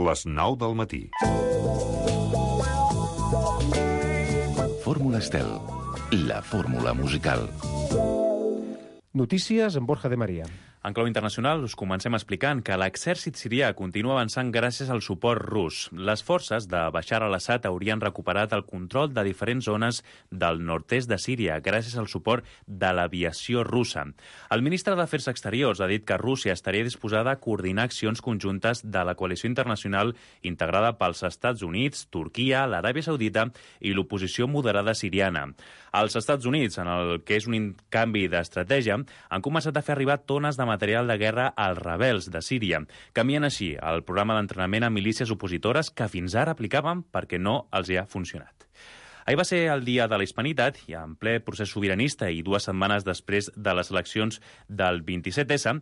Les 9 del matí. Fórmula Estel, la fórmula musical. Notícies amb Borja de María. En clau internacional, us comencem explicant que l'exèrcit sirià continua avançant gràcies al suport rus. Les forces de Bashar al-Assad haurien recuperat el control de diferents zones del nord-est de Síria gràcies al suport de l'aviació russa. El ministre d'Afers Exteriors ha dit que Rússia estaria disposada a coordinar accions conjuntes de la coalició internacional integrada pels Estats Units, Turquia, l'Aràbia Saudita i l'oposició moderada siriana. Els Estats Units, en el que és un canvi d'estratègia, han començat a fer arribar tones de material de guerra als rebels de Síria, canviant així el programa d'entrenament a milícies opositores que fins ara aplicaven perquè no els hi ha funcionat. Ahir va ser el dia de la Hispanitat i en ple procés sobiranista i 2 setmanes després de les eleccions del 27S,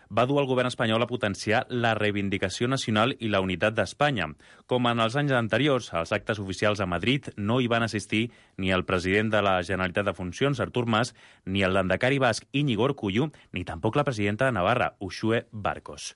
va dur el govern espanyol a potenciar la reivindicació nacional i la unitat d'Espanya. Com en els anys anteriors, als actes oficials a Madrid no hi van assistir ni el president de la Generalitat de Funcions, Artur Mas, ni el landacari basc Íñigo Urkullu, ni tampoc la presidenta de Navarra, Uxue Barkos.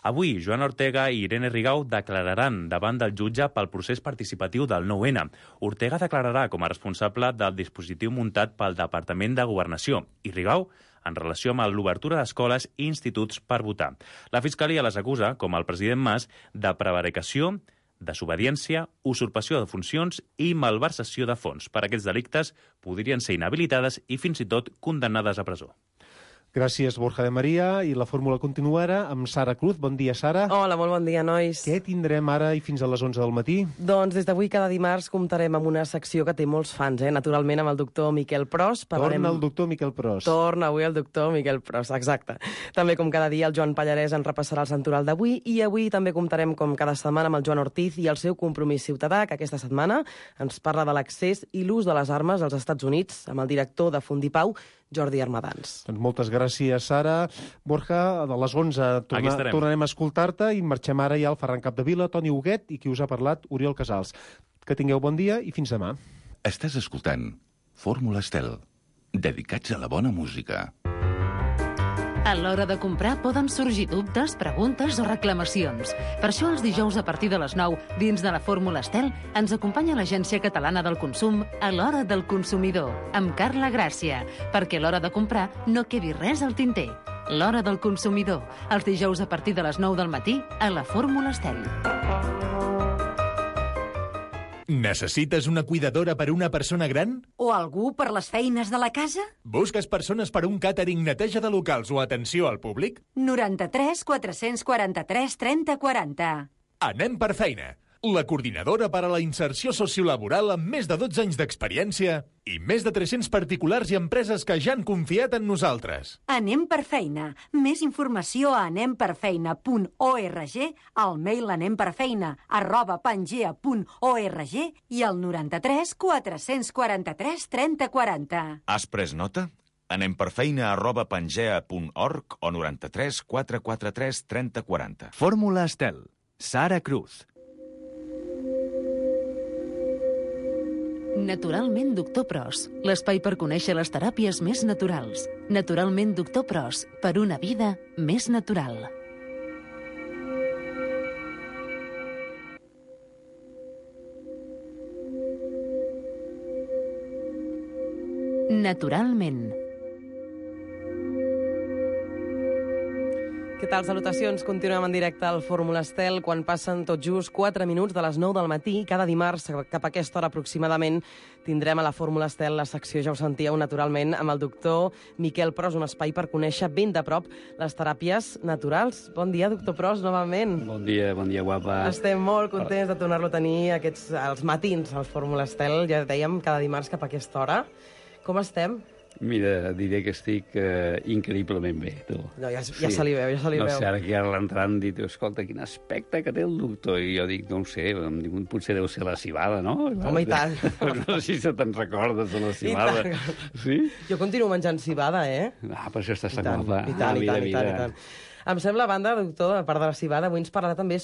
Avui, Joan Ortega i Irene Rigau declararan davant del jutge pel procés participatiu del 9-N. Ortega declararà com a responsable del dispositiu muntat pel Departament de Governació i Rigau en relació amb l'obertura d'escoles i instituts per votar. La Fiscalia les acusa, com el president Mas, de prevaricació, desobediència, usurpació de funcions i malversació de fons. Per aquests delictes podrien ser inhabilitades i fins i tot condemnades a presó. Gràcies, Borja de María. I la fórmula continua ara amb Sara Cruz. Bon dia, Sara. Hola, molt bon dia, nois. Què tindrem ara i fins a les 11 del matí? Doncs des d'avui cada dimarts comptarem amb una secció que té molts fans, naturalment amb el doctor Miquel Pros. Torna el doctor Miquel Pros. Torna avui el doctor Miquel Pros, exacte. També com cada dia el Joan Pallarès en repassarà el santoral d'avui i avui també comptarem com cada setmana amb el Joan Ortiz i el seu compromís ciutadà, que aquesta setmana ens parla de l'accés i l'ús de les armes als Estats Units amb el director de Fundipau, Jordi Armadans. Doncs moltes gràcies, Sara. Borja, a les 11 tornarem a escoltar-te i marxem ara ja al Ferran Capdevila, Toni Huguet i qui us ha parlat, Oriol Casals. Que tingueu bon dia i fins demà. Estàs escoltant Fórmula Estel, dedicats a la bona música. A l'hora de comprar poden sorgir dubtes, preguntes o reclamacions. Per això els dijous a partir de les 9, dins de la Fórmula Estel, ens acompanya l'Agència Catalana del Consum a l'Hora del Consumidor, amb Carla Gràcia, perquè a l'hora de comprar no quedi res al tinter. L'Hora del Consumidor, els dijous a partir de les 9 del matí a la Fórmula Estel. Necessites una cuidadora per una persona gran? O algú per les feines de la casa? Busques persones per un càtering, neteja de locals o atenció al públic? 93 443 30 40. Anem per feina. La coordinadora per a la inserció sociolaboral amb més de 12 anys d'experiència i més de 300 particulars i empreses que ja han confiat en nosaltres. Anem per feina. Més informació a anemperfeina.org, al mail anemperfeina@pangea.org i al 93 443 30 40. Has pres nota? anemperfeina@pangea.org o 93 443 30 40. Fórmula Estel. Sara Cruz. Naturalment Doctor Pros, l'espai per conèixer les teràpies més naturals. Naturalment Doctor Pros, per una vida més natural. Naturalment. Què tal? Salutacions. Continuem en directe al Fórmula Estel quan passen tot just 4 minuts de les 9 del matí. Cada dimarts, cap a aquesta hora aproximadament, tindrem a la Fórmula Estel la secció, ja ho sentíeu, naturalment, amb el doctor Miquel Pros, un espai per conèixer ben de prop les teràpies naturals. Bon dia, doctor Pros, novament. Bon dia, guapa. Estem molt contents de tornar-lo a tenir els matins al Fórmula Estel. Ja dèiem, cada dimarts cap a aquesta hora. Com estem? Mira, diré que estic increïblement bé, tu. No, ja se li veu, ja se li veu. No sé, ara que ara l'entrant dit, escolta, quin aspecte que té el doctor. I jo dic, no ho sé, em dic, potser deu ser la cibada, no? Home, i tant. No sé si te'n recordes de la cibada. Sí? Jo continuo menjant cibada, Ah, per això estàs tan guapa. I tant. Em sembla, a banda, doctor, a part de la civada, avui ens parlarà també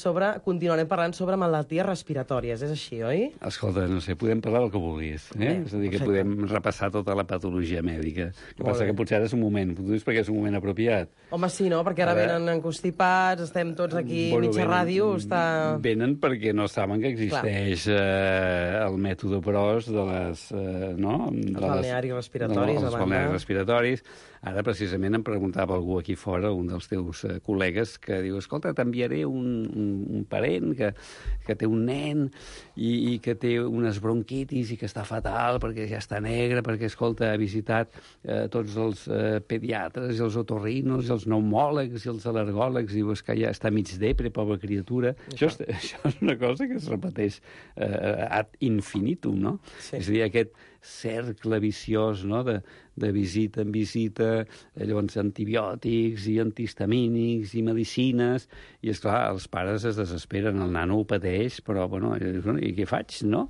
continuarem parlant sobre malalties respiratòries. És així, oi? Escolta, no sé, podem parlar del que vulguis. És a dir, que podem repassar tota la patologia mèdica. El que passa que potser ara és un moment, tu dius perquè és un moment apropiat. Home, sí, no? Perquè ara venen constipats, estem tots aquí, mitja ràdio, Venen perquè no saben que existeix el mètode PROS de les... Els balnearis respiratoris, els balnearis respiratoris. Ara, precisament, em preguntava algú aquí fora, un dels teus col·legues, que diu, escolta, t'enviaré un parent que té un nen i que té unes bronquitis i que està fatal perquè ja està negre, perquè, escolta, ha visitat tots els pediatres i els otorrinos i els pneumòlegs i els al·lergòlegs, diu, és que ja està mig depre, pobra criatura. Això és una cosa que es repeteix ad infinitum, no? Sí. És a dir, aquest cercle viciós, no?, de visita en visita, llavors antibiòtics i antihistamínics i medicines, i esclar, els pares es desesperen, el nano ho pateix, però, i què faig, no?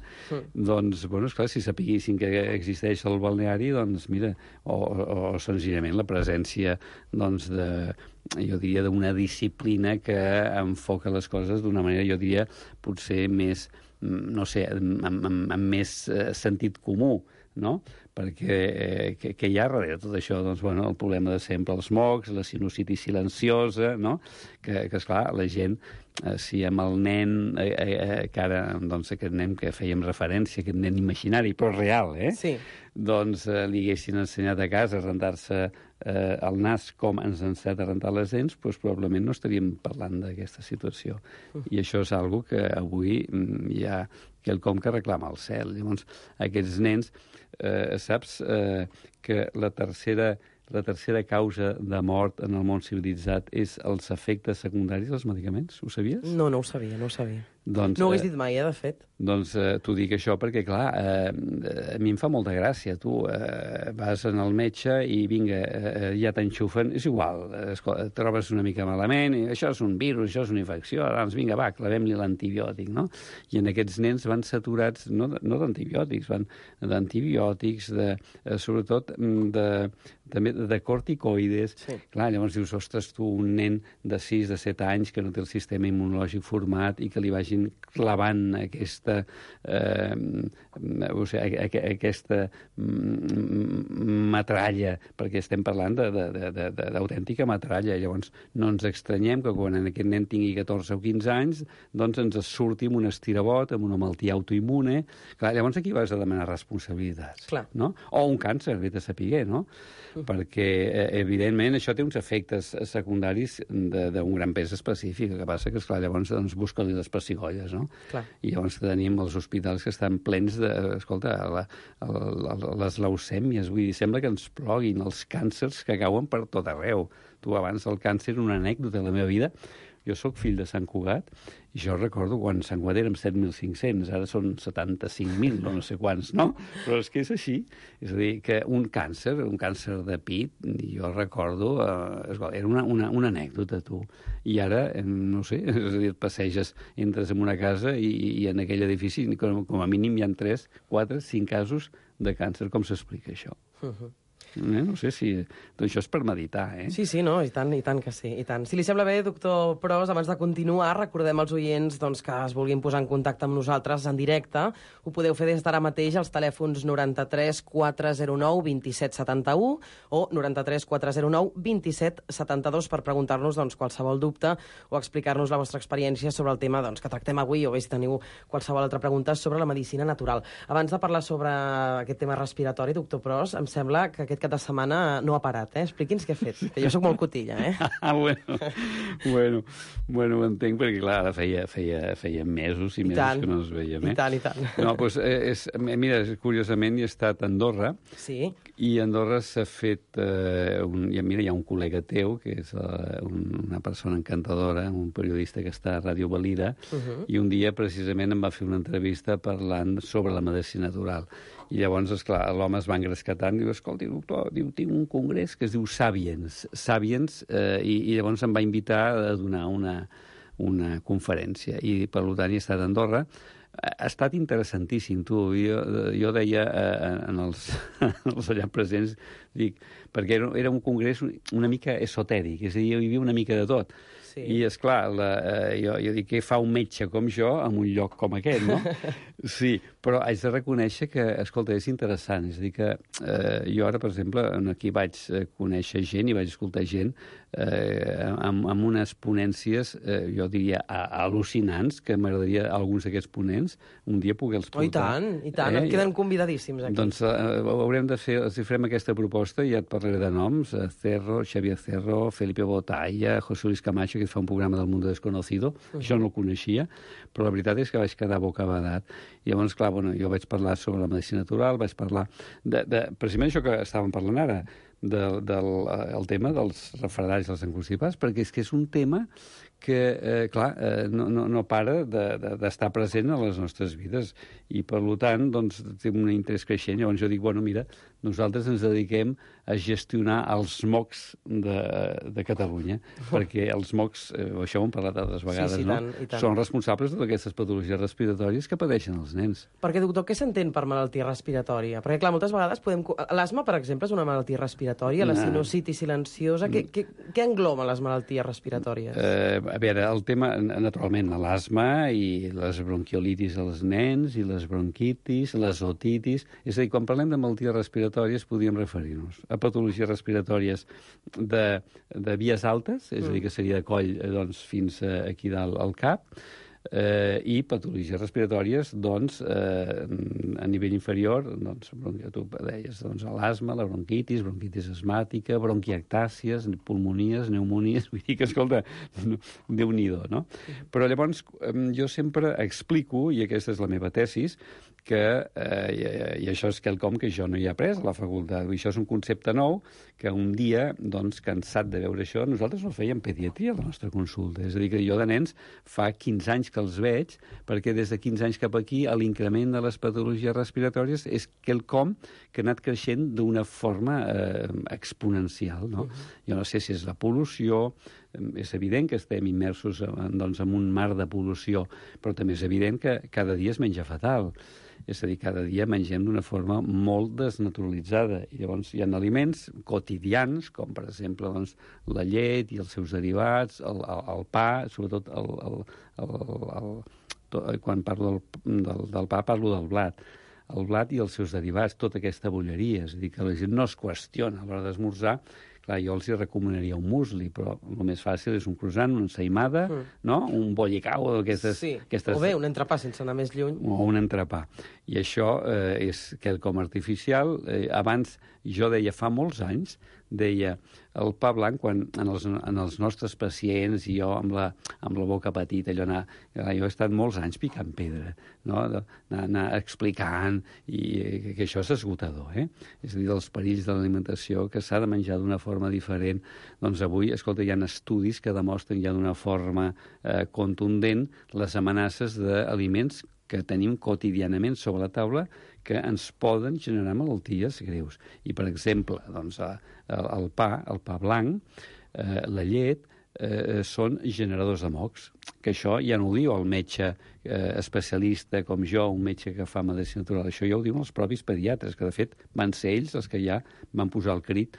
Doncs, esclar, si sapiguessin que existeix el balneari, doncs, mira, o senzillament la presència, doncs, jo diria, d'una disciplina que enfoca les coses d'una manera, jo diria, potser més, no sé, amb més sentit comú, no? Perquè què hi ha darrere tot això? Doncs, el problema de sempre, els mocs, la sinusitis silenciosa, no? Que esclar, la gent, si amb el nen, que ara, doncs, aquest nen que fèiem referència, aquest nen imaginari, però real, Sí. Doncs li haguessin ensenyat a casa a rentar-se el nas com ens ha ensenyat a rentar les dents, doncs probablement no estaríem parlant d'aquesta situació. I això és algo que avui hi ha quelcom que reclama el cel. Llavors, aquests nens, saps que la tercera causa de mort en el món civilitzat és els efectes secundaris dels medicaments? Ho sabies? No ho sabia. Doncs, no ho hagués dit mai, de fet. Doncs t'ho dic això perquè, clar, a mi em fa molta gràcia. Tu vas al metge i, vinga, ja t'enxufen. És igual, et trobes una mica malament, i això és un virus, això és una infecció, doncs vinga, va, clavem-li l'antibiòtic, no? I en aquests nens van saturats, no d'antibiòtics, van d'antibiòtics, sobretot també de corticoides. Sí. Clar, llavors dius, ostres, tu, un nen de 6, de 7 anys que no té el sistema immunològic format i que li vagin clavant aquesta metralla, perquè estem parlant d'autèntica metralla. Llavors, no ens extranyem que quan aquest nen tingui 14 o 15 anys, doncs ens surti amb un estirabot, amb una malaltia autoimmune. Clar, llavors aquí vas a demanar responsabilitats. Clar. No? O un càncer, ve de saber, no? Perquè, evidentment, això té uns efectes secundaris d'un gran pes específic. El que passa que, esclar, llavors busca-li les pessigolles, no? Clar. I llavors tenim els hospitals que estan plens de, escolta, les leucèmies, vull dir, sembla que ens ploguin els càncers que cauen per tot arreu. Tu, abans del càncer, una anècdota de la meva vida. Jo sóc fill de Sant Cugat i jo recordo quan Sant Cugat érem 7.500, ara són 75.000, no sé quants, no? Però és que és així. És a dir, que un càncer de pit, jo recordo, era una anècdota, tu. I ara, no sé, és a dir, et passeges, entres en una casa i en aquell edifici, com a mínim hi ha 3, 4, 5 casos de càncer. Com s'explica això? No sé si... Doncs això és per meditar, Sí, no, i tant que sí, i tant. Si li sembla bé, doctor Pros, abans de continuar, recordem als oients que es vulguin posar en contacte amb nosaltres en directe. Ho podeu fer des d'ara mateix als telèfons 93 409 27 71 o 93 409 27 72 per preguntar-nos qualsevol dubte o explicar-nos la vostra experiència sobre el tema que tractem avui, o bé si teniu qualsevol altra pregunta sobre la medicina natural. Abans de parlar sobre aquest tema respiratori, doctor Pros, em sembla que aquest cap de setmana no ha parat, Expliqui'ns què ha fet, que jo sóc molt cotilla, Bueno, ho entenc, perquè, clar, ara feia mesos i mesos que no ens veiem, I tant. No, doncs, mira, curiosament he estat a Andorra, sí. I a Andorra s'ha fet, hi ha un col·lega teu, que és una persona encantadora, un periodista que està a Ràdio Valira, i un dia, precisament, em va fer una entrevista parlant sobre la medicina natural. I llavors, esclar, l'home es va engrescar tant, diu, escolti, doctor, tinc un congrés que es diu Sapiens, i llavors em va invitar a donar una conferència. I, per tant, he estat a Andorra. Ha estat interessantíssim, tu. Jo deia en els allà presents, dic, perquè era un congrés una mica esotèric, és a dir, hi havia una mica de tot. Sí. I, esclar, jo dic, què fa un metge com jo en un lloc com aquest, no? Sí, però haig de reconèixer que, escolta, és interessant. És a dir, que jo ara, per exemple, aquí vaig conèixer gent i vaig escoltar gent amb unes ponències, jo diria, al·lucinants, que m'agradaria alguns d'aquests ponents un dia poder-los portar. I tant, et queden convidadíssims aquí. Doncs haurem de fer, si farem aquesta proposta, ja et parlaré de noms, Cerro, Xavier Cerro, Felipe Botalla, José Luis Camacho, que fa un programa del Mundo Desconocido, això no el coneixia, però la veritat és que vaig quedar bocabadat. I llavors, clar, jo vaig parlar sobre la medicina natural, vaig parlar precisament això que estàvem parlant ara, el tema dels refredats i els enconstipats, perquè és que és un tema que, clar, no para d'estar present a les nostres vides i, per tant, doncs, té un interès creixent. Llavors jo dic, bueno, mira, nosaltres ens dediquem a gestionar els MOCs de Catalunya, perquè els MOCs, això ho hem parlat altres vegades, sí, no? tant. Són responsables de aquestes patologies respiratòries que pateixen els nens. Perquè, doctor, què s'entén per malaltia respiratòria? Perquè, clar, moltes vegades l'asma, per exemple, és una malaltia respiratòria, la sinusitis silenciosa. Què engloben les malalties respiratòries? A veure, el tema, naturalment, l'asma i les bronquiolitis als nens i les bronquitis, les otitis. És a dir, quan parlem de malalties respiratòries podríem referir-nos a patologies respiratòries de vies altes, és a dir, que seria de coll fins aquí dalt al cap, i patologies respiratòries a nivell inferior, tu deies l'asma, la bronquitis asmàtica, bronquiectàcies, pulmonies, pneumonies, vull dir que, escolta, Déu-n'hi-do, no? Però llavors jo sempre explico, i aquesta és la meva tesis, que, i això és quelcom que jo no hi he après a la facultat, i això és un concepte nou, que un dia, doncs, cansat de veure això, nosaltres no fèiem pediatria a la nostra consulta. És a dir, que jo de nens fa 15 anys que els veig, perquè des de 15 anys cap aquí l'increment de les patologies respiratòries és quelcom que ha anat creixent d'una forma exponencial, no? Jo no sé si és la pol·lució, és evident que estem immersos en un mar de pol·lució, però també és evident que cada dia es menja fatal. És a dir, cada dia mengem d'una forma molt desnaturalitzada. I llavors hi ha aliments quotidians, com per exemple la llet i els seus derivats, el pa, sobretot quan parlo del pa parlo del blat. El blat i els seus derivats, tota aquesta bolleria. És a dir, que la gent no es qüestiona a l'hora d'esmorzar. Clar, jo els hi recomanaria un musli, però el més fàcil és un croissant, una ensaïmada, no? Un bollicau, aquestes... Sí, o bé, un entrepà sense anar més lluny. O un entrepà. I això és quelcom artificial. Abans, jo deia, fa molts anys, deia, el pa blanc, quan en els nostres pacients, i jo amb la boca petita, jo he estat molts anys picant pedra, no? Anar explicant, i que això és esgotador, És a dir, dels perills de l'alimentació, que s'ha de menjar d'una forma diferent. Doncs avui, escolta, hi ha estudis que demostren ja d'una forma contundent les amenaces d'aliments que tenim quotidianament sobre la taula que ens poden generar malalties greus. I, per exemple, doncs, el pa blanc, la llet, són generadors de mocs, que això ja no ho diu el metge especialista com jo, un metge que fa medicina natural, això ja ho diuen els propis pediatres, que de fet van ser ells els que ja van posar el crit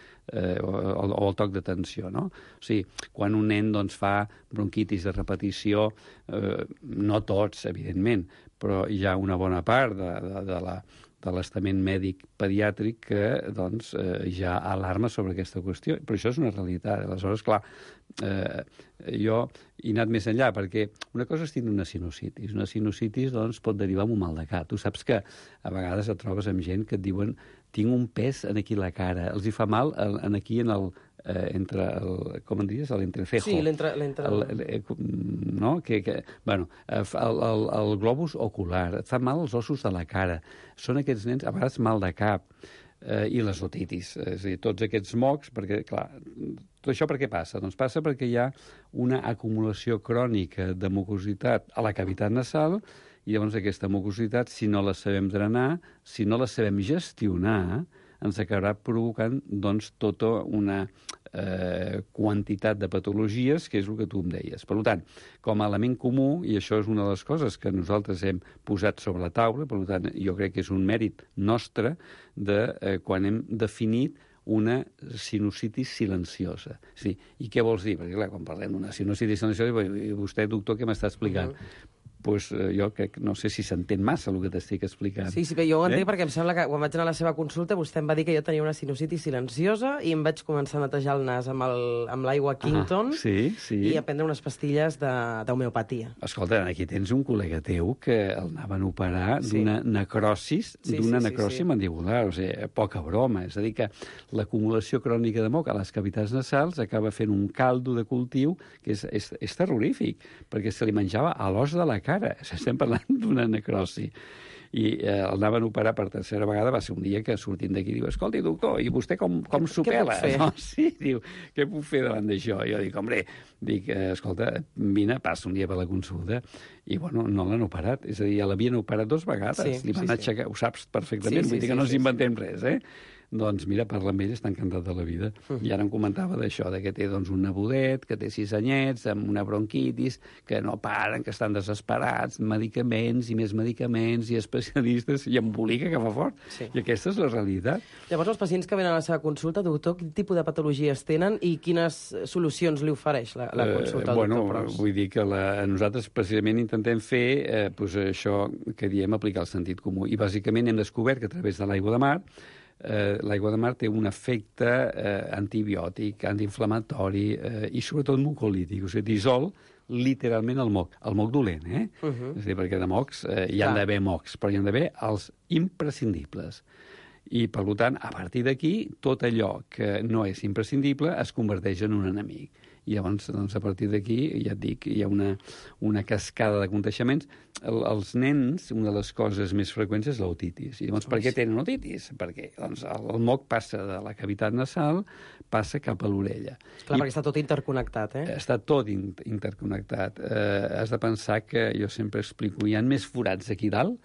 o el toc d'atenció, no? O sigui, quan un nen doncs, fa bronquitis de repetició, no tots, evidentment, però hi ha una bona part de l'estament mèdic pediàtric que doncs, ja alarma sobre aquesta qüestió. Però això és una realitat. Aleshores, clar, jo he anat més enllà, perquè una cosa és tindre una sinusitis. Una sinusitis doncs, pot derivar en un mal de cap. Tu saps que a vegades et trobes amb gent que et diuen tinc un pes aquí a la cara, els hi fa mal aquí en el com en diries? L'entrecejo. Sí, l'entre... No? Bueno, el globus ocular, et fa mal els ossos de la cara. Són aquests nens, a vegades mal de cap, i les otitis. És a dir, tots aquests mocs, perquè, clar, tot això per què passa? Doncs passa perquè hi ha una acumulació crònica de mucositat a la cavitat nasal, i llavors aquesta mucositat, si no la sabem drenar, si no la sabem gestionar, ens acabarà provocant doncs, tota una quantitat de patologies, que és el que tu em deies. Per tant, com a element comú, i això és una de les coses que nosaltres hem posat sobre la taula, per tant, jo crec que és un mèrit nostre de quan hem definit una sinusitis silenciosa. Sí. I què vols dir? Perquè, clar, quan parlem d'una sinusitis silenciosa, i vostè, doctor, què m'està explicant? Pues jo crec, no sé si s'entén massa el que t'estic explicant. Sí, però jo ho entenc perquè em sembla que quan vaig anar a la seva consulta vostè em va dir que jo tenia una sinusitis silenciosa i em vaig començar a netejar el nas amb l'aigua Quinton i a prendre unes pastilles d'homeopatia. Escolta, aquí tens un col·lega teu que el anaven a operar d'una necrosis, mandibular, o sigui, poca broma. És a dir, que l'acumulació crònica de moc a les cavitats nasals acaba fent un caldo de cultiu que és terrorífic, perquè se li menjava a l'os de la cara. Estem parlant d'una necrosi. I el anaven a operar per tercera vegada, va ser un dia que sortint d'aquí diu, escolti, doctor, i vostè com s'ho pela? No, sí, diu, què puc fer davant d'això? Jo dic, hombre, escolta, vine, passa un dia per la consulta, i bueno, no l'han operat, és a dir, ja l'havien operat 2 vegades, li van aixecar, ho saps perfectament, vull dir que no ens inventem res, Doncs mira, parla amb ell, està encantat de la vida. I ara em comentava d'això, que té un nebodet, que té 6 anyets, amb una bronquitis, que no paren, que estan desesperats, medicaments i més medicaments i especialistes, i embolica que fa fort. I aquesta és la realitat. Llavors, els pacients que venen a la seva consulta, doctor, quin tipus de patologies tenen i quines solucions li ofereix la consulta al doctor Pros? Vull dir que nosaltres precisament intentem fer això que diem aplicar el sentit comú. I bàsicament hem descobert que a través de l'aigua de mar l'aigua de mar té un efecte antibiòtic, antiinflamatori i sobretot mucolític, o sigui, dissol literalment el moc dolent, És a dir, perquè de mocs hi ha d'haver mocs, però hi ha d'haver els imprescindibles. I, per tant, a partir d'aquí, tot allò que no és imprescindible es converteix en un enemic. I llavors, a partir d'aquí, ja et dic, hi ha una cascada de contagiaments. Els nens, una de les coses més freqüents és l'otitis. I llavors, per què tenen otitis? Perquè el moc passa de la cavitat nasal, passa cap a l'orella. Clar, perquè està tot interconnectat, Està tot interconnectat. Has de pensar que, jo sempre explico, hi ha més forats aquí dalt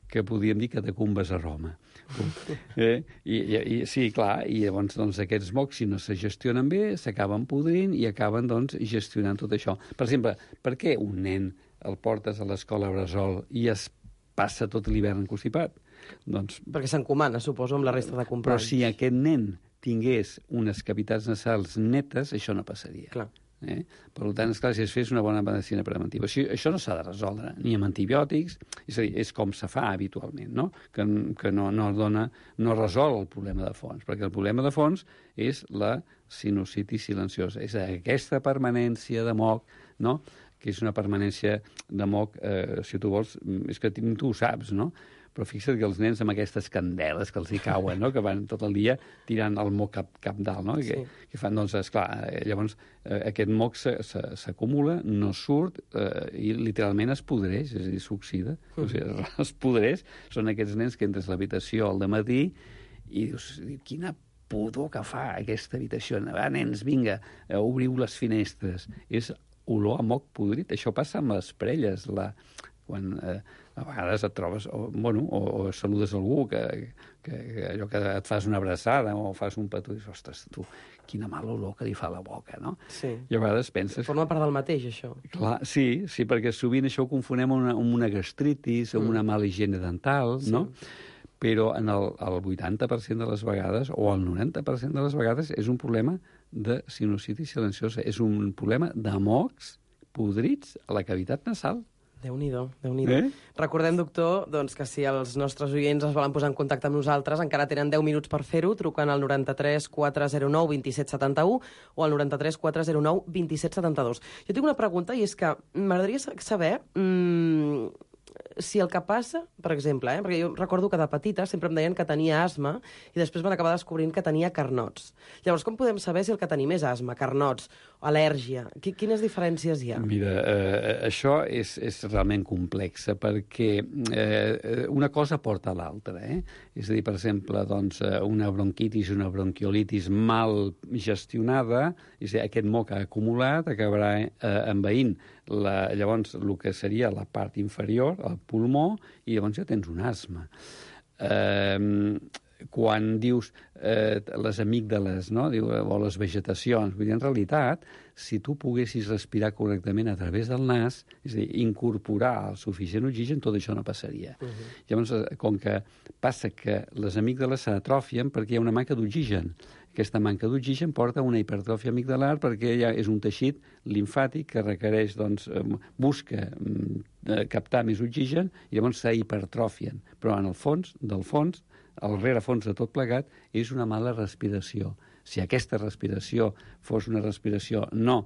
que podríem dir catacumbes a Roma. Sí, clar, i llavors aquests mocs, si no se gestionen bé, s'acaben podrint i acaben gestionant tot això. Per exemple, per què un nen el portes a l'escola bressol i es passa tot l'hivern constipat? Perquè s'encomana, suposo, amb la resta de companys. Però si aquest nen tingués unes cavitats nasals netes, això no passaria. Clar. Per tant, esclar, si es fes una bona medicina preventiva. Això no s'ha de resoldre ni amb antibiòtics, és a dir, és com se fa habitualment, no? Que no resol el problema de fons, perquè el problema de fons és la sinusitis silenciosa, és aquesta permanència de moc, no? Que és una permanència de moc, si tu vols, és que tu ho saps, no? Però fixa't que els nens amb aquestes candeles que els hi cauen, no? Que van tot el dia tirant el moc cap dalt, no? Que fan, esclar, llavors aquest moc s'acumula, no surt i literalment es podreix, és a dir, s'oxida, o sigui, es podreix. Són aquests nens que entres a l'habitació al dematí i dius, quina pudor que fa aquesta habitació. Va, nens, vinga, obriu les finestres. És olor a moc podrit. Això passa amb les parelles, quan a vegades et trobes, o saludes algú, que allò que et fas una abraçada o fas un petó i dius, ostres, tu, quina mala olor que li fa la boca, no? Sí. I a vegades penses... Forma part del mateix, això. Clar, sí, perquè sovint això ho confonem amb una gastritis, amb una mala higiene dental, no? Però en el 80% de les vegades, o el 90% de les vegades, és un problema de sinusitis silenciosa. És un problema de mocs podrits a la cavitat nasal. Déu-n'hi-do, Déu-n'hi-do. Recordem, doctor, que si els nostres oients es volen posar en contacte amb nosaltres, encara tenen 10 minuts per fer-ho, trucant al 93 409 2771 o al 93 409 2772. Jo tinc una pregunta, i és que m'agradaria saber si el que passa, per exemple, perquè jo recordo que de petita sempre em deien que tenia asma i després van acabar descobrint que tenia carnots. Llavors, com podem saber si el que tenim és asma, carnots, al·lèrgia? Quines diferències hi ha? Mira, això és realment complex, perquè una cosa porta a l'altra. És a dir, per exemple, una bronquitis, una bronquiolitis mal gestionada, és a dir, aquest moc ha acumulat, acabarà envaint llavors el que seria la part inferior, el pulmó, i llavors ja tens un asma. quan dius les amígdales, no? O les vegetacions, vull dir, en realitat, si tu poguessis respirar correctament a través del nas, és a dir, incorporar el suficient oxigen, tot això no passaria. Llavors, com que passa que les amígdales s'atrofien perquè hi ha una manca d'oxigen. Aquesta manca d'oxigen porta a una hipertròfia amigdalar perquè ja és un teixit limfàtic que requereix, doncs, busca captar més oxigen i llavors s'hipertròfien. Però en el fons, del fons, el rerefons de tot plegat, és una mala respiració. Si aquesta respiració fos una respiració no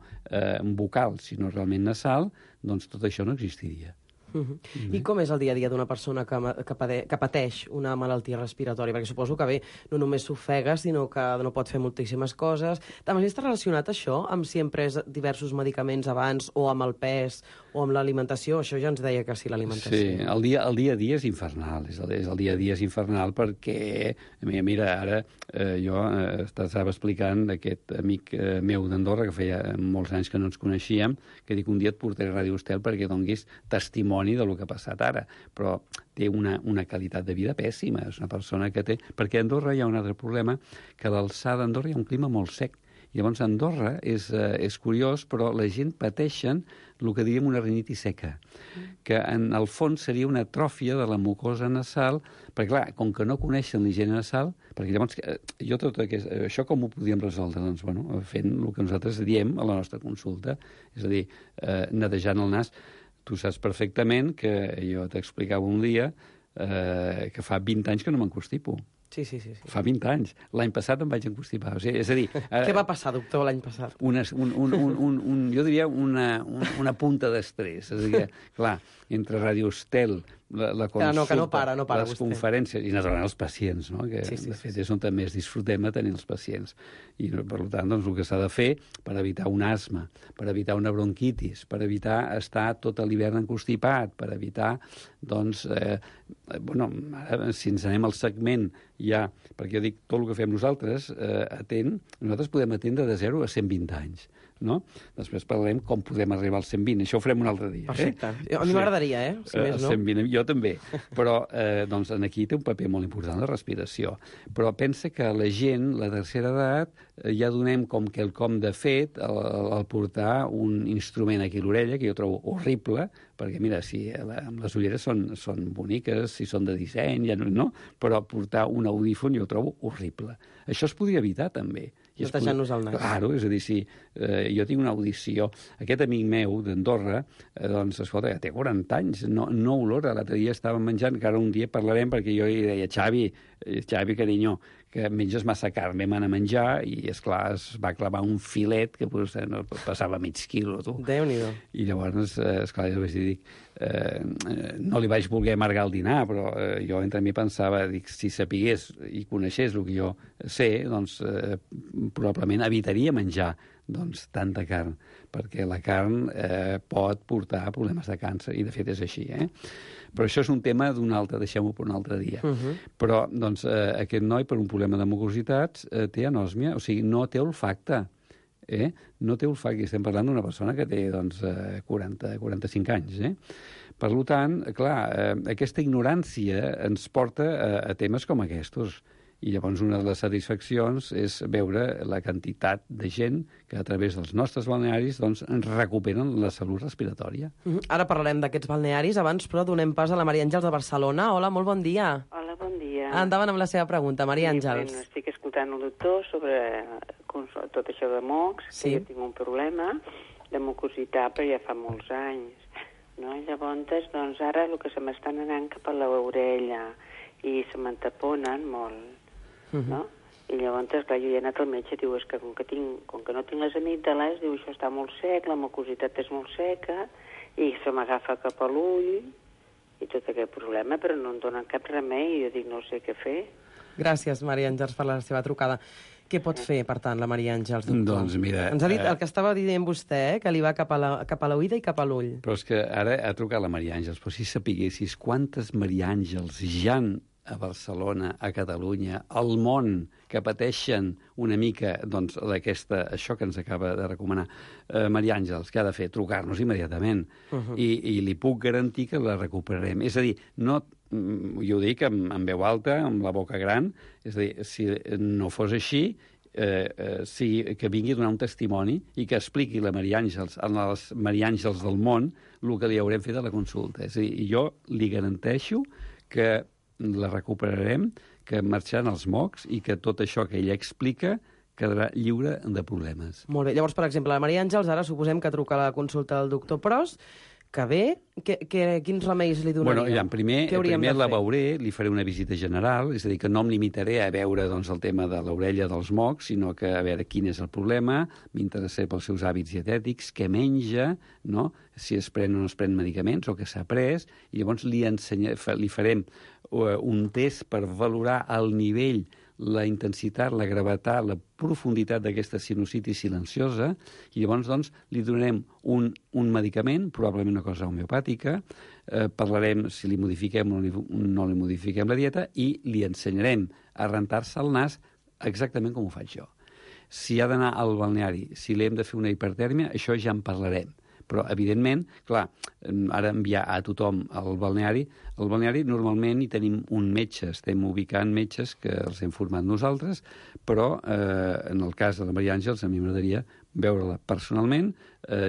bucal, sinó realment nasal, doncs tot això no existiria. I com és el dia a dia d'una persona que pateix una malaltia respiratòria? Perquè suposo que no només s'ofega, sinó que no pot fer moltíssimes coses. També està relacionat això amb si hem pres diversos medicaments abans, o amb el pes, o amb l'alimentació? Això ja ens deia que sí, l'alimentació. Sí, el dia a dia és infernal. El dia a dia és infernal perquè, mira, ara jo estava explicant d'aquest amic meu d'Andorra, que feia molts anys que no ens coneixíem, que dic, un dia et portaré a Ràdio Estel perquè donguis testimoni del que ha passat ara, però té una qualitat de vida pèssima, és una persona que té... Perquè a Andorra hi ha un altre problema, que a l'alçada d'Andorra hi ha un clima molt sec. Llavors, a Andorra és curiós, però la gent pateixen el que diríem una rinitis seca, que en el fons seria una atròfia de la mucosa nasal, perquè, clar, com que no coneixen l'higiene nasal, perquè llavors, això com ho podíem resoldre? Doncs, bueno, fent el que nosaltres diem a la nostra consulta, és a dir, netejant el nas. Tu saps perfectament que jo t'explicava un dia que fa 20 anys que no m'encostipo. Sí. Fa 20 anys. L'any passat em vaig encostipar. O sigui, és a dir... Què va passar, doctor, l'any passat? Jo diria una punta d'estrès. És a dir, clar, entre Ràdio Estel, la consulta, que no para les vostè. Conferències, i naturalment els pacients, no? Que de fet és on també es disfrutem de tenir els pacients. I per tant, doncs, el que s'ha de fer per evitar un asma, per evitar una bronquitis, per evitar estar tot l'hivern encostipat, per evitar, doncs, ara, si ens anem al segment ja, perquè jo dic, tot el que fem nosaltres, nosaltres podem atendre de 0 a 120 anys. No? Després parlarem com podem arribar als 120. Això ho farem un altre dia. Perfecte. A mi m'agradaria, si més no. 120, jo també. Però doncs, aquí té un paper molt important la respiració. Però pensa que la gent, la tercera edat, ja donem com quelcom de fet al portar un instrument aquí a l'orella, que jo trobo horrible, perquè, mira, si amb les ulleres són boniques, si són de disseny, ja no, però portar un audífon jo ho trobo horrible. Això es podria evitar, també. Netejant-nos el nas. Claro, és a dir, si jo tinc una audició... Aquest amic meu d'Andorra, doncs, escolta, ja té 40 anys, no olora. L'altre dia estàvem menjant, que ara un dia parlarem, perquè jo li deia, Xavi, carinyo, que menges massa carn, vam anar a menjar i, esclar, es va clavar un filet que passava mig quilo, tu. Déu-n'hi-do. I llavors, esclar, jo vaig dir, no li vaig voler amargar el dinar, però jo entre mi pensava, dic, si sapigués i coneixés el que jo sé, doncs probablement evitaria menjar doncs, tanta carn, perquè la carn pot portar problemes de càncer, i de fet és així, Però això és un tema d'un altre, deixem-ho per un altre dia. Però doncs, aquest noi, per un problema de mucositats, té anòsmia, o sigui, no té olfacte. No té olfacte, estem parlant d'una persona que té doncs, 40-45 anys. Per tant, clar, aquesta ignorància ens porta a temes com aquests. I llavors una de les satisfaccions és veure la quantitat de gent que a través dels nostres balnearis doncs, recuperen la salut respiratòria. Ara parlarem d'aquests balnearis. Abans, però, donem pas a la Maria Àngels de Barcelona. Hola, molt bon dia. Hola, bon dia. Endavant amb la seva pregunta, Maria Àngels. Bueno, estic escoltant el doctor sobre tot això de mocs, que jo tinc un problema de mucositat, però ja fa molts anys. No? Llavors, doncs, ara el que se m'estan anant cap a l'orella i se m'entaponen molt. No? I llavors, clar, jo he anat al metge, diu, és que com que no tinc les amígdales, diu, això està molt sec, la mucositat és molt seca, i se m'agafa cap a l'ull, i tot aquest problema, però no em donen cap remei, i jo dic, no sé què fer. Gràcies, Maria Àngels, per la seva trucada. Què pot fer, per tant, la Maria Àngels, doctor? Doncs mira... Ens ha dit el que estava dient vostè, que li va cap a l'oïda i cap a l'ull. Però és que ara ha trucat la Maria Àngels, però si sapiguessis quantes Maria Àngels ja han a Barcelona, a Catalunya, al món, que pateixen una mica doncs, això que ens acaba de recomanar Maria Àngels, que ha de fer? Trucar-nos immediatament. I li puc garantir que la recuperarem. És a dir, no jo ho dic en veu alta, amb la boca gran, és a dir, si no fos així, que vingui a donar un testimoni i que expliqui a les Maria Àngels del món el que li haurem fet a la consulta. És a dir, jo li garanteixo que la recuperarem, que marxaran els mocs i que tot això que ella explica quedarà lliure de problemes. Molt bé. Llavors, per exemple, la Maria Àngels ara suposem que truca a la consulta del doctor Pros, que ve, quins remeis li donaria? Bueno, primer la veuré, li faré una visita general, és a dir, que no em limitaré a veure doncs, el tema de l'orella dels mocs, sinó que a veure quin és el problema, m'interessaré pels seus hàbits dietètics, què menja, no? Si es pren o no es pren medicaments o què s'ha pres, i llavors li farem un test per valorar el nivell, la intensitat, la gravetat, la profunditat d'aquesta sinusitis silenciosa, i llavors doncs, li donarem un medicament, probablement una cosa homeopàtica, parlarem si li modifiquem o no li modifiquem la dieta, i li ensenyarem a rentar-se el nas exactament com ho faig jo. Si ha d'anar al balneari, si li hem de fer una hipertèrmia, això ja en parlarem. Però, evidentment, clar, ara enviar a tothom al balneari normalment hi tenim un metge, estem ubicant metges que els hem format nosaltres, però en el cas de la Maria Àngels a mi m'agradaria veure-la personalment,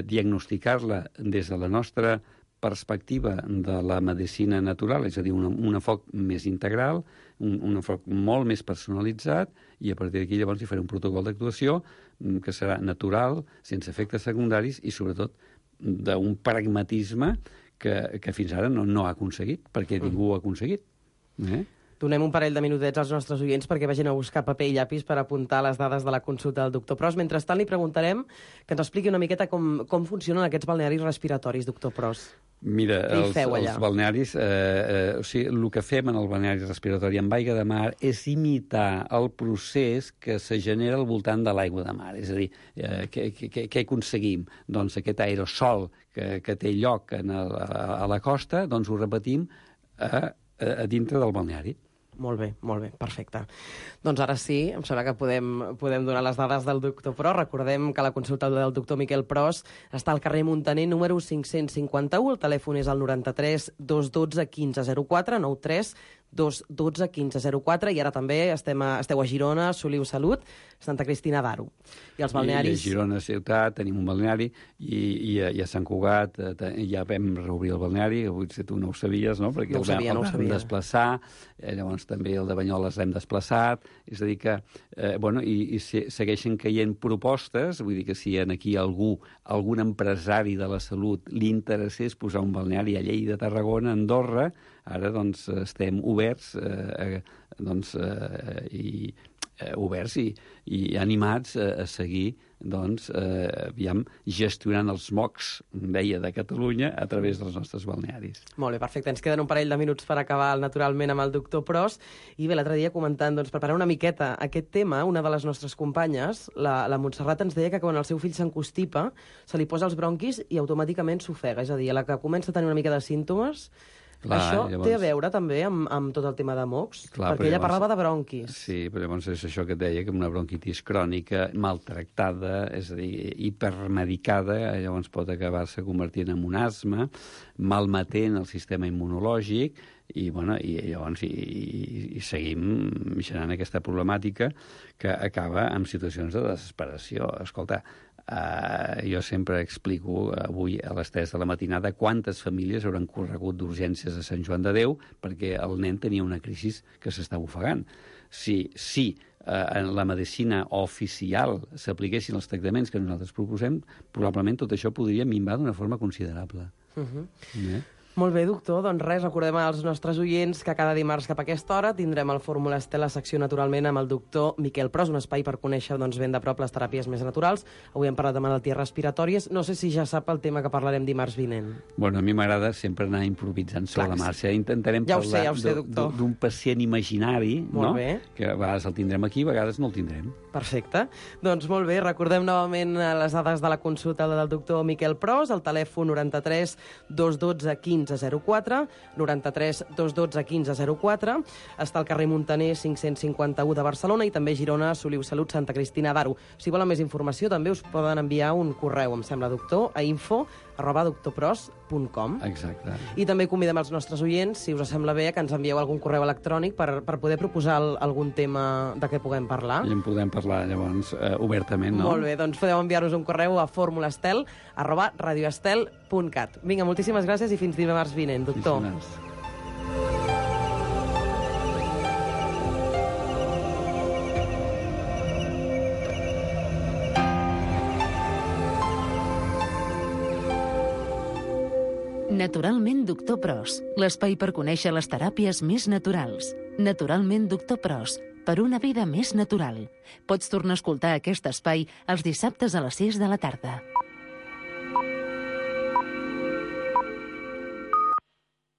diagnosticar-la des de la nostra perspectiva de la medicina natural, és a dir, un enfoc més integral, un enfoc molt més personalitzat, i a partir d'aquí llavors hi faré un protocol d'actuació que serà natural, sense efectes secundaris i, sobretot, d'un pragmatisme que fins ara no ha aconseguit, perquè ningú ho ha aconseguit. Donem un parell de minutets als nostres oients perquè vagin a buscar paper i llapis per apuntar les dades de la consulta del doctor Pros. Mentrestant, li preguntarem que ens expliqui una miqueta com funcionen aquests balnearis respiratoris, doctor Pros. Mira, els balnearis, el que fem en el balneari respiratori amb aigua de mar és imitar el procés que se genera al voltant de l'aigua de mar. És a dir, què aconseguim? Doncs aquest aerosol que té lloc a la costa, doncs ho repetim a dintre del balneari. Molt bé, perfecte. Doncs ara sí, em sembla que podem donar les dades del doctor Pros. Recordem que la consulta del doctor Miquel Pros està al carrer Muntaner, número 551. El telèfon és el 93 212 1504, 93 212 1504, i ara també esteu a Girona, Soliu Salut, Santa Cristina d'Aro. I els balnearis... I a Girona ciutat tenim un balneari, i a Sant Cugat ja vam reobrir el balneari, potser tu no ho sabies, no? Perquè no ho sabia. El vam desplaçar, llavors també el de Banyoles l'hem desplaçat, és a dir que, i segueixen caient propostes, vull dir que si aquí algun empresari de la salut li interessés posar un balneari a Lleida, Tarragona, Andorra, ara doncs estem oberts i animats a seguir gestionant els mocs, deia, de Catalunya a través dels nostres balnearis. Molt bé, perfecte. Ens queden un parell de minuts per acabar naturalment amb el doctor Pros. I bé, l'altre dia comentant, preparar una miqueta aquest tema, una de les nostres companyes, la Montserrat, ens deia que quan el seu fill s'encostipa se li posa els bronquis i automàticament s'ofega. És a dir, a la que comença a tenir una mica de símptomes... Clar, això llavors... té a veure també amb tot el tema de mocs? Clar, perquè ella parlava de bronquis. Sí, però llavors és això que et deia, que una bronquitis crònica maltractada, és a dir, hipermedicada, llavors pot acabar-se convertint en un asma, malmetent el sistema immunològic, i llavors seguim generant aquesta problemàtica que acaba amb situacions de desesperació. Escolta, jo sempre explico avui a les 3 de la matinada quantes famílies hauran corregut d'urgències a Sant Joan de Déu perquè el nen tenia una crisi que s'estava ofegant. Si en la medicina oficial s'apliquessin els tractaments que nosaltres proposem, probablement tot això podria minvar d'una forma considerable. Molt bé, doctor. Doncs res, recordem als nostres oients que cada dimarts cap a aquesta hora tindrem el Fórmula Estel, la secció naturalment amb el doctor Miquel Pros, un espai per conèixer ben de prop les teràpies més naturals. Avui hem parlat de malalties respiratòries. No sé si ja sap el tema que parlarem dimarts vinent. Bueno, a mi m'agrada sempre anar improvisant sobre la marxa. Intentarem parlar d'un pacient imaginari, no? Que a vegades el tindrem aquí, a vegades no el tindrem. Perfecte. Doncs molt bé, recordem novament les dades de la consulta del doctor Miquel Pros, el telèfon 93 212 15 1504, 93 212 1504. Està al carrer Muntaner 551 de Barcelona i també a Girona, Soliu Salut, Santa Cristina d'Aro. Si volen més informació, també us poden enviar un correu, em sembla, doctor, a info@doctorpros.com. Exacte. I també convidem els nostres oients, si us sembla bé, que ens envieu algun correu electrònic per poder proposar algun tema de què puguem parlar. I en podem parlar, llavors, obertament, no? Molt bé, doncs podeu enviar-nos un correu a formulastel@radioestel.cat. Vinga, moltíssimes gràcies i fins dimarts vinent, doctor. Naturalment Doctor Pros, l'espai per conèixer les teràpies més naturals. Naturalment Doctor Pros, per una vida més natural. Pots tornar a escoltar aquest espai els dissabtes a les 6 de la tarda.